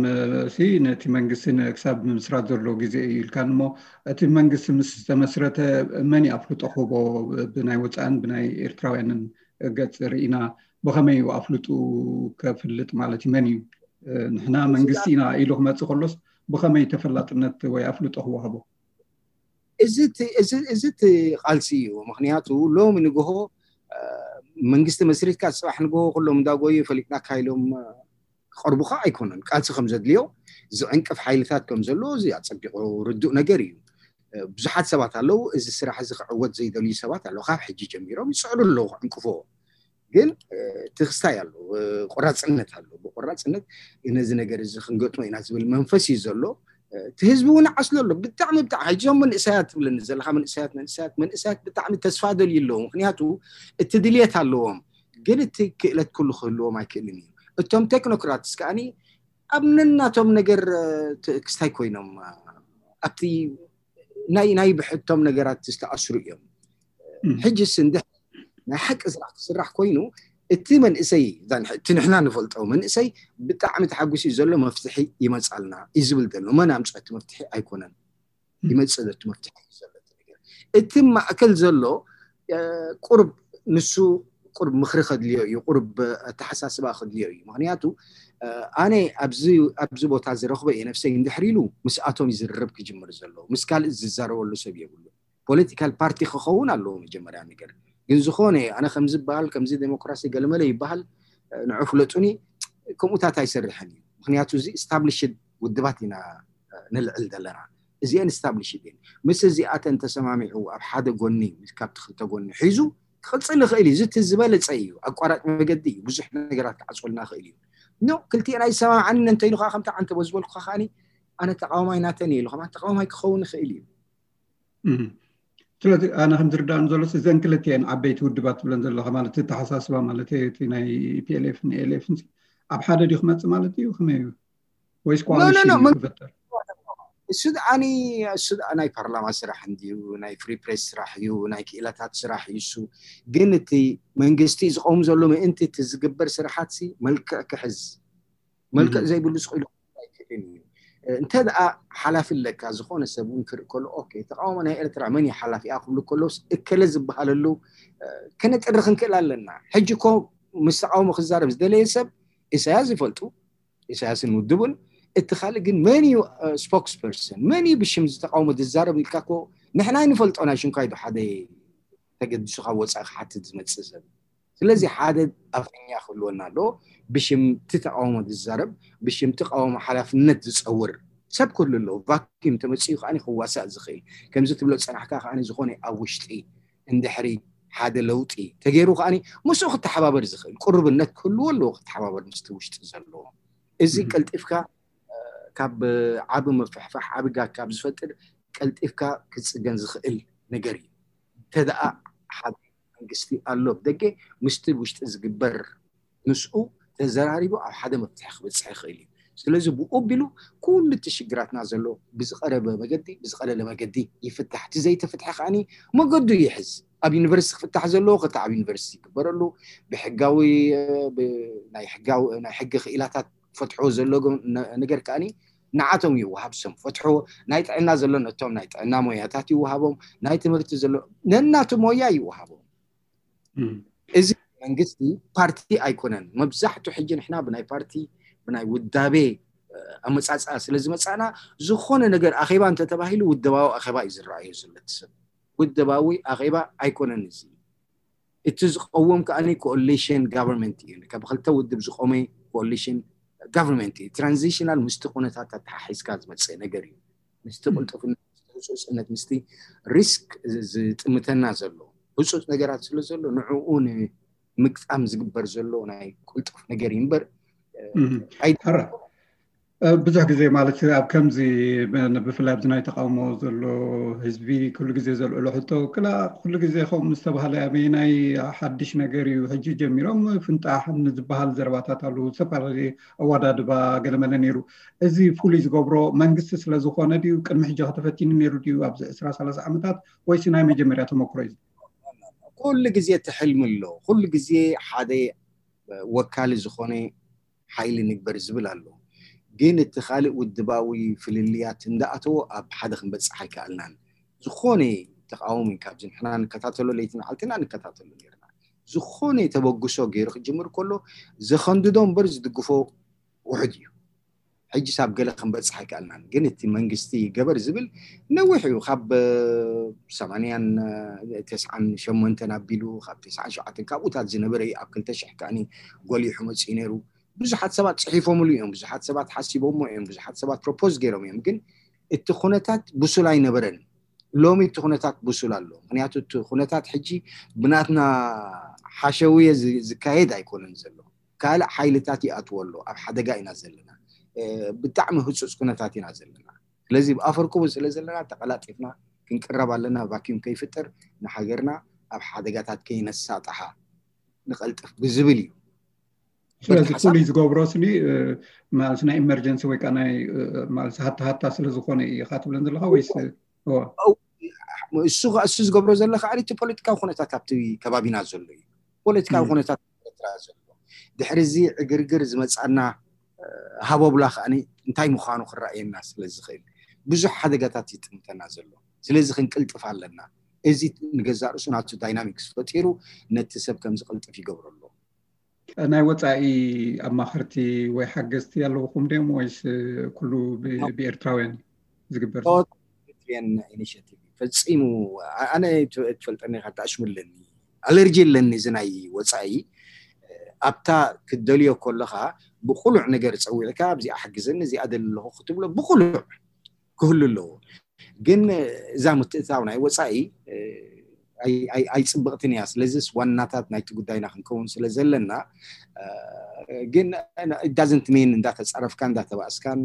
ሲ ነቲ መንግስቲ ክሳብ ምምስራት ዘሎ ግዜ እዩ ኢልካን እሞ እቲ መንግስቲ ምስ ዝተመስረተ መን እዩ ኣፍልጦ ክህቦ ብናይ ወፃእን ብናይ ኤርትራውያንን ገፅ ርኢና ብኸመይ እዩ ኣፍልጡ ከፍልጥ ማለት እዩ መን እዩ ንሕና መንግስቲ ኢና ኢሉ ክመፅእ ከሎስ ብኸመይ ተፈላጥነት ወይ ኣፍልጦ ክወሃቦ? እዚ እቲ ቃልሲ እዩ። ምክንያቱ ሎሚ ንግሆ መንግስቲ መስሪትካ ፅባሕ ንግሆ ኩሎም እንዳጎዩ ፈሊጥናካ ኢሎም ክቐርቡካ ኣይኮነን። ቃልሲ ከም ዘድልዮ ዝዕንቅፍ ሓይልታት ከም ዘሎ እዚ ኣፀቢቑ ርዱእ ነገር እዩ። ብዙሓት ሰባት ኣለዉ እዚ ስራሕ እዚ ክዕወት ዘይደልዩ ሰባት ኣለዉ። ካብ ሕጂ ጀሚሮም ይፅዕሩ ኣለዉ ክዕንቅፍዎ። ግን እቲ ክስታይ ኣሎ፣ ቆራፅነት ኣሎ። ብቆራፅነት ነዚ ነገር እዚ ክንገጥሞ ኢና ዝብል መንፈስ እዩ ዘሎ። እቲ ህዝቢ እውን ዓስሎ ኣሎ። ብጣዕሚ ብጣዕሚ ሕጂ እዞም መንእሰያት ትብለኒ ዘለካ መንእሰያት መንእሰያት መንእሰያት ብጣዕሚ ተስፋ ደልዩ ኣለዎ። ምክንያቱ እቲ ድልየት ኣለዎም፣ ግን እቲ ክእለት ኩሉ ክህልዎም ኣይክእልን እዩ። እቶም ቴክኖክራትስ ከዓኒ ኣብ ነናቶም ነገር ክስታይ ኮይኖም ኣብቲ ናይ ናይ ብሕቶም ነገራት ዝተኣስሩ እዮም። ሕጂ ስንድሕ ናይ ሓቂ ስራሕ ክስራሕ ኮይኑ እቲ መንእሰይ እቲ ንሕና ንፈልጦ መንእሰይ ብጣዕሚ ተሓጉሲ ዘሎ መፍትሒ ይመፃልና እዩ ዝብል ዘሎ። መን ኣምፅኦ እቲ መፍትሒ ኣይኮነን፣ ይመፅእ ዘቲ መፍትሒ እዩ ዘሎ እቲ ነገር። እቲ ማእከል ዘሎ ቁርብ ንሱ ቁርብ ምክሪ ከድልዮ እዩ፣ ቁርብ ኣተሓሳስባ ከድልዮ እዩ። ምክንያቱ ኣነ ኣብዚ ቦታ ዝረኽቦ እየ ነፍሰይ እንድሕር ኢሉ ምስኣቶም ይዝርርብ ክጅምር ዘለዎ፣ ምስ ካልእ ዝዛረበሉ ሰብ የብሉ። ፖለቲካል ፓርቲ ክኸውን ኣለዎ መጀመርያ ነገር። ግን ዝኾነ ኣነ ከምዚ በሃል ከምዚ ዴሞክራሲ ገለመለ ይበሃል ንዑ ፍለጡኒ፣ ከምኡታት ኣይሰርሕን እዩ። ምክንያቱ እዚ ስታብሊሽድ ውድባት ኢና ንልዕል ዘለና። እዚአን ስታብሊሽድ እየን። ምስ እዚኣተን ተሰማሚዑ ኣብ ሓደ ጎኒ ካብቲ ክልተ ጎኒ ሒዙ ክቕፅል ይኽእል እዩ። እዚ እቲ ዝበለፀ እዩ። ኣቋራጭ መገዲ እዩ። ብዙሕ ነገራት ክዓፅወልና ይኽእል እዩ። ኖ ክልቲኤን ኣይሰማምዓንን እንተይሉ ከዓ ከምቲ ዓንተ በዝበልኩ ከዓ ኣነ ተቃዋማይ ናተን እየ ኢሉ ከማ ተቃዋማይ ክኸውን ይኽእል እዩ። ስለዚ ኣነ ከም ዝርዳእን ዘሎ እዘን ክልቲኤን ዓበይቲ ውድባት ትብለን ዘለካ ማለት ተሓሳስባ ማለት እቲ ናይ ፒኤልኤፍ ንኤልኤፍ ኣብ ሓደ ድዩ ክመፅእ ማለት እዩ? ከመይ እዩ? ወይስ ኮኣሊሽን ክፈጠር? እሱ ደኣኒ እሱ ደኣ ናይ ፓርላማ ስራሕ እንድዩ፣ ናይ ፍሪ ፕሬስ ስራሕ እዩ፣ ናይ ክኢላታት ስራሕ እዩ። እሱ ግን እቲ መንግስቲ ዝቀውም ዘሎ ምእንቲ እቲ ዝግበር ስራሓት ሲ መልክዕ ክሕዝ፣ መልክዕ ዘይብሉ ስኢሉ ኣይክእልን እዩ። እንተ ደኣ ሓላፊ ኣለካ ዝኾነ ሰብ እውን ክርኢ ከሎ ኦኬ ተቃውሞ ናይ ኤርትራ መን እዩ ሓላፊኣ ክብሉ ከለውስ እከለ ዝበሃለሉ ከነጥሪ ክንክእል ኣለና። ሕጂ እኮ ምስ ተቃውሞ ክዛረብ ዝደለየ ሰብ ኢሳያስ ይፈልጡ፣ ኢሳያስን ውድቡን። እቲ ካልእ ግን መን እዩ ስፖክስ ፐርሰን፣ መን እዩ ብሽም ዝተቃውሞ ዝዛረብ ኢልካ እኮ ንሕና ኣይንፈልጦ። ናይ ሽንኳይ ዶ ሓደ ተገዲሱ ካብ ወፃኢ ክሓትት ዝመፅእ ሰብ? ስለዚ ሓደ ኣፈኛ ክህልወና ኣለዎ። ብሽም እቲ ተቃውሞ ዝዛረብ፣ ብሽም ተቃውሞ ሓላፍነት ዝፀውር ሰብ ክህሉ ኣለዎ። ቫኪዩም ተመፅኡ ከዓ ክዋሳእ ዝኽእል ከምዚ ትብሎ ዝፀናሕካ ከዓ ዝኾነ ኣብ ውሽጢ እንድሕሪ ሓደ ለውጢ ተገይሩ ከዓ ምስኡ ክተሓባበር ዝኽእል ቅሩብነት ክህልዎ ኣለዎ። ክተሓባበር ምስቲ ውሽጢ ዘለዎ እዚ ቀልጢፍካ ካብ ዓቢ ምፍሕፋሕ ዓቢ ጋግ ካብ ዝፈጥር ቀልጢፍካ ክፅገን ዝኽእል ነገር እዩ። እንተደኣ ሓደ መንግስቲ ኣሎ ብደገ ምስቲ ውሽጢ ዝግበር ምስኡ ተዘራሪቡ ኣብ ሓደ መፍትሒ ክበፅሕ ይኽእል እዩ። ስለዚ ብኡ ኣቢሉ ኩሉ እቲ ሽግራትና ዘሎ ብዝቐረበ መገዲ ብዝቐለለ መገዲ ይፍታሕ። እቲ ዘይተፍትሐ ከዓኒ መገዱ ይሕዝ። ኣብ ዩኒቨርሲቲ ክፍታሕ ዘለዎ ክታ ኣብ ዩኒቨርሲቲ ይግበረሉ። ብሕጋዊ ናይ ሕጋዊ ናይ ሕጊ ክኢላታት ፈትሕዎ ዘለዎ ነገር ከዓኒ ንዓቶም ይወሃብ። ሰም ፈትሕዎ ናይ ጥዕና ዘሎ ነቶም ናይ ጥዕና ሞያታት ይወሃቦም። ናይ ትምህርቲ ዘሎ ነናቱ ሞያ ይወሃቦም። እዚ መንግስቲ ፓርቲ ኣይኮነን። መብዛሕቱ ሕጂ ንሕና ብናይ ፓርቲ ብናይ ውዳቤ ኣመፃፅኣ ስለ ዝመፃና ዝኾነ ነገር ኣኼባ እንተተባሂሉ ውደባዊ ኣኼባ እዩ ዝረኣዮ ዘሎ እቲ ሰብ። ውደባዊ ኣኼባ ኣይኮነን እዚ። እቲ ዝቀውም ከዓኒ ኮኦሊሽን ጋቨርንመንት እዩ። ካብ ክልተ ውድብ ዝቆመ ኮኦሊሽን ጋቨርንመንት እዩ። ትራንዚሽናል ምስቲ ኩነታት ኣተሓሒዝካ ዝመፅእ ነገር እዩ። ምስቲ ቅልጡፍነት ምስቲ ህፁፅነት ምስቲ ሪስክ ዝጥምተና ዘሎ ህፁፅ ነገራት ስለ ዘሎ ንዕኡ ንምግጣም ዝግበር ዘሎ ናይ ቅልጡፍ ነገር እዩ እምበር ሕራ ብዙሕ ግዜ ማለት ኣብ ከምዚ ብፍላይ ኣብዚ ናይ ተቃውሞ ዘሎ ህዝቢ ኩሉ ግዜ ዘልዕሎ ሕቶ ክላ ኩሉ ግዜ ከምኡ ምስ ተባሃለ ኣበየናይ ሓድሽ ነገር እዩ ሕጂ ጀሚሮም ፍንጣሕ ንዝበሃል ዘረባታት ኣሉ ዝተፈላለዩ ኣወዳድባ ገለመለ ነይሩ። እዚ ፍሉይ ዝገብሮ መንግስቲ ስለ ዝኾነ ድዩ ቅድሚ ሕጂ ከተፈቲኑ ነይሩ ድዩ ኣብዚ ዕስራ ሰላሳ ዓመታት ወይሲ ናይ መጀመርያ ተመክሮ እዩ? ኩሉ ግዜ እቲ ሕልሚ ኣሎ። ኩሉ ግዜ ሓደ ወካሊ ዝኾነ ሓይሊ ንግበር ዝብል ኣሎ። ግን እቲ ካልእ ውድባዊ ፍልልያት እንዳኣተዎ ኣብ ሓደ ክንበፅሕ ኣይከኣልናን። ዝኾነ ተቃውሞ ካብዚ ንሕና ንከታተሎ ለይትን ዓልትና ንከታተሎ ነርና። ዝኾነ ተበግሶ ገይሩ ክጅምር ከሎ ዘኸንድዶ እምበር ዝድግፎ ውሑድ እዩ። ሕጂ ሳብ ገለ ክንበፅሕ ኣይከኣልናን። ግን እቲ መንግስቲ ገበር ዝብል ነዊሕ እዩ። ካብ ሰማንያን ተስዓን ሸሞንተን ኣቢሉ ካብ ተስዓን ሸውዓተን ካብኡታት ዝነበረ እዩ። ኣብ ክልተ ሽሕ ከዓኒ ጎሊሑ መፅኡ ነይሩ። ብዙሓት ሰባት ፅሒፎምሉ እዮም። ብዙሓት ሰባት ሓሲቦሞ እዮም። ብዙሓት ሰባት ፕሮፖዝ ገይሮም እዮም። ግን እቲ ኩነታት ብሱል ኣይነበረን። ሎሚ እቲ ኩነታት ብሱል ኣሎ። ምክንያቱ እቲ ኩነታት ሕጂ ብናትና ሓሸውየ ዝ- ዝካየድ ኣይኮነን ዘሎ። ካልእ ሓይልታት ይኣትዎ ኣሎ። ኣብ ሓደጋ ኢና ዘለና። እ፣ ብጣዕሚ ህፁፅ ኩነታት ኢና ዘለና። ስለዚ ብኣፈርኩቡ ስለ ዘለና ተቐላጢፍና ክንቅረብ ኣለና። ቫኪዩም ከይፍጠር፣ ንሃገርና ኣብ ሓደጋታት ከይነሳጥሓ ንቐልጥፍ ብዝብል እዩ። ስለዚ በቃ ሓሳብ- ፍሉይ ዝገብሮ ስኒ ማለት ናይ ኢመርጀንሲ ወይ ከዓ ናይ ማለት ሃታ ሃታ ስለ ዝኾነ ኢኻ ትብለን ዘለኻ ወይስ? እዎ። እሱ እሱ ዝገብሮ ዘሎ ከዓ እቲ ፖለቲካዊ ኩነታት ኣብቲ ከባቢና ዘሎ እዩ። ፖለቲካዊ ኩነታት ኤርትራ ዘሎ ድሕሪ እዚ ዕግርግር ዝመፃና ሃቦብላ ከዓ እንታይ ምዃኑ ክረኣየና ስለ ዝኽእል ብዙሕ ሓደጋታት ይጥምተና ዘሎ። ስለዚ ክንቅልጥፍ ኣለና። እዚ ንገዛእ ርእሱ ናቱ ዳይናሚክስ ፈጢሩ ነቲ ሰብ ከም ዝቕልጥፍ ይገብሮ ኣሎ። ናይ ወፃኢ ኣማኸርቲ ወይ ሓገዝቲ ኣለውኹም ድዮም ወይስ ኩሉ ብ- ብኤርትራውያን ዝግበር? ኢኒሽቲቭ ፈፂሙ ኣነ ትፈልጠኒ ኢኻ፣ ተኣሽሙ ኣለኒ፣ ኣለርጂ ኣለኒ። እዚ ናይ ወፃኢ ኣብታ ክትደልዮ ከለኻ ብቁሉዕ ነገር ፀዊዕካ ኣብዚኣ ሓግዘኒ እዚኣ ደሊ ኣለኹ ክትብሎ ብቁሉዕ ክህሉ ኣለዎ። ግን እዛ ምትእታው ናይ ወፃኢ ኣይፅብቕትን እያ። ስለዚስ ዋናታት ናይቲ ጉዳይና ክንከውን ስለ ዘለና ግን ዳዝንት ሜን እንዳተፃረፍካ እንዳተባእስካን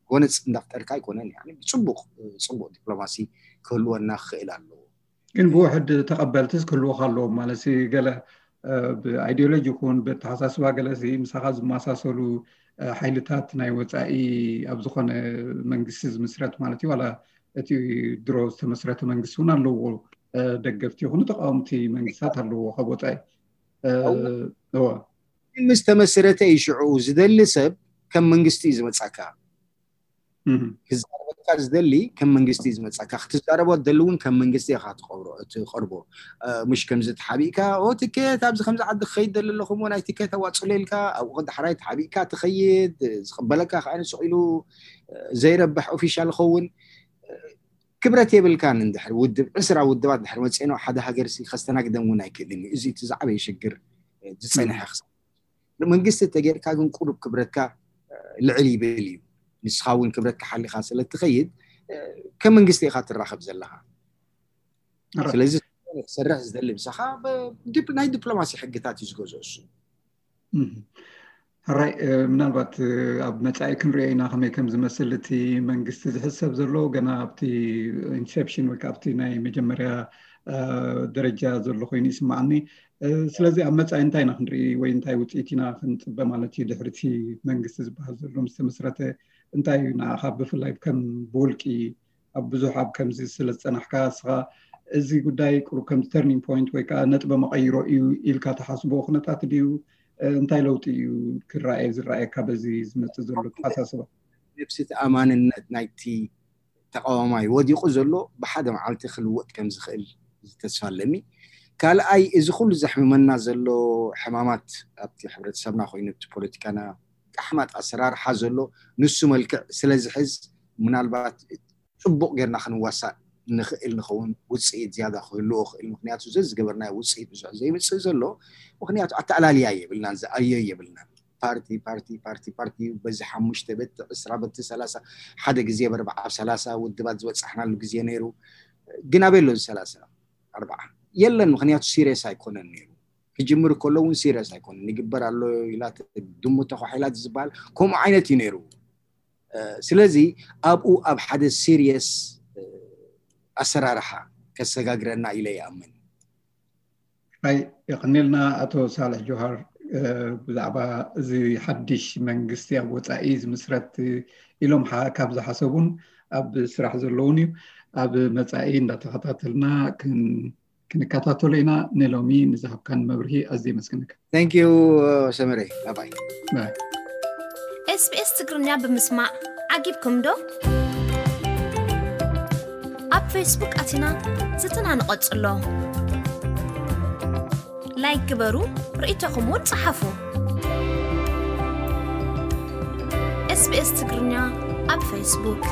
ጎነፅ እንዳፍጠርካ ኣይኮነን። ብፅቡቅ ፅቡቅ ዲፕሎማሲ ክህልወና ክኽእል ኣለዎ። ግን ብውሕድ ተቐበልትስ ክህልወካ ኣለዎም ማለት ገለ ብኣይዲዮሎጂ ይኹን ብኣተሓሳስባ ገለ ምሳኻ ዝመሳሰሉ ሓይልታት ናይ ወፃኢ ኣብ ዝኾነ መንግስቲ ዝምስረት ማለት እዩ ዋላ እቲ ድሮ ዝተመስረተ መንግስቲ እውን ኣለዎ። ደገፍቲ ይኹኑ ተቃወምቲ መንግስታት ኣለዎ ካብ ወፃኢ። ምስ ተመስረተ እዩ ሽዑ ዝደሊ ሰብ ከም መንግስቲ እዩ ዝመፃካ። ክዛረበካ ዝደሊ ከም መንግስቲ እዩ ዝመፃካ። ክትዛረቦ ትደሊ እውን ከም መንግስቲ ኢኻ ትቀርቦ። ምሽ ከምዚ ተሓቢእካ ትኬት ኣብዚ ከምዚ ዓዲ ክኸይድ ደሊ ኣለኹ እሞ ናይ ትኬት ኣዋፅለ ኢልካ ኣብኡ ዳሕራይ ተሓቢእካ ትኸይድ። ዝቅበለካ ከዓ ስቕ ኢሉ ዘይረብሕ ኦፊሻል ይኸውን። ክብረት የብልካን። እንድሕር ውድብ ዕስራ ውድባት ድሕር መፅኤ ናብ ሓደ ሃገር ሲ ከስተናግደን እውን ኣይክእልን እዩ። እዚ እቲ ዝዓበየ ሽግር ዝፀንሐ ክስ መንግስቲ ተጌርካ ግን ቁሩብ ክብረትካ ልዕል ይብል እዩ። ንስኻ እውን ክብረትካ ሓሊኻ ስለ ትኸይድ ከም መንግስቲ ኢኻ ትራኸብ ዘለኻ። ስለዚ ክሰርሕ ዝደሊ ምሳኻ ናይ ዲፕሎማሲ ሕግታት እዩ ዝገዝኦ እሱ። ሕራይ ምናልባት ኣብ መፃኢ ክንሪኦ ኢና ከመይ ከም ዝመስል እቲ መንግስቲ ዝሕሰብ ዘሎ ገና ኣብቲ ኢንሴፕሽን ወይ ኣብቲ ናይ መጀመርያ ደረጃ ዘሎ ኮይኑ ይስማዓኒ። ስለዚ ኣብ መፃኢ እንታይ ኢና ክንርኢ ወይ እንታይ ውፅኢት ኢና ክንፅበ ማለት እዩ ድሕርቲ መንግስቲ ዝበሃል ዘሎ ምስ ተመስረተ እንታይ እዩ ንዓኻ ብፍላይ ከም ብውልቂ ኣብ ብዙሕ ኣብ ከምዚ ስለ ዝፀናሕካ እስኻ እዚ ጉዳይ ቁሩብ ከምዚ ተርኒንግ ፖይንት ወይ ከዓ ነጥበ መቐይሮ እዩ ኢልካ ተሓስቦ ኩነታት ድዩ? እንታይ ለውጢ እዩ ክረኣየ ዝረኣየካ በዚ ዝመፅእ ዘሎ ተሓሳስባ? ነብሲ ተኣማንነት ናይቲ ተቃዋማይ ወዲቁ ዘሎ ብሓደ መዓልቲ ክልወጥ ከም ዝኽእል ተስፋ ኣለኒ። ካልኣይ እዚ ኩሉ ዘሕምመና ዘሎ ሕማማት ኣብቲ ሕብረተሰብና ኮይኑ ኣብቲ ፖለቲካና ኣሕማጥ ኣሰራርሓ ዘሎ ንሱ መልክዕ ስለ ዝሕዝ ምናልባት ፅቡቅ ጌርና ክንዋሳእ ንኽእል ንኸውን ውፅኢት ዝያዳ ክህልዎ ክእል። ምክንያቱ ዘዝገበርናዮ ውፅኢት ብዙሕ ዘይምፅእ ዘሎ ምክንያቱ ኣተኣላልያ የብልናን ዝኣዮ የብልናን። ፓርቲ ፓርቲ ፓርቲ ፓርቲ በዚ ሓሙሽተ በቲ ዕስራ በቲ ሰላሳ ሓደ ግዜ በርባዓ ኣብ ሰላሳ ውድባት ዝበፃሕናሉ ግዜ ነይሩ። ግን ኣበይ ኣሎ እዚ ሰላሳ ኣርባዓ የለን። ምክንያቱ ሲሪየስ ኣይኮነን ነይሩ። ክጅምር ከሎ እውን ሲሪየስ ኣይኮነን። ይግበር ኣሎ ኢላ ድሙ ተኳሒላ ዝበሃል ከምኡ ዓይነት እዩ ነይሩ። ስለዚ ኣብኡ ኣብ ሓደ ሲሪየስ ኣሰራርሓ ከሰጋግረና ኢለ ይኣምን። ኣይ የቐኒልና ኣቶ ሳልሕ ጆሃር ብዛዕባ እዚ ሓድሽ መንግስቲ ኣብ ወፃኢ ዝምስረት ኢሎም ካብ ዝሓሰቡን ኣብ ስራሕ ዘለውን እዩ። ኣብ መፃኢ እንዳተኸታተልና ክንከታተሎ ኢና። ንሎሚ ንዝሃብካን መብርሂ ኣዝየ የመስግነካ። Thank you ሰመረ። ባባይ። ኤስቢኤስ ትግርኛ ብምስማዕ ዓጊብኩም ዶ? ኣብ ፌስቡክ ኣቲና ዝትና ንቐጽሎ። ላይክ ግበሩ፣ ርእይቶኹም እውን ጸሓፉ። ኤስቢኤስ ትግርኛ ኣብ ፌስቡክ።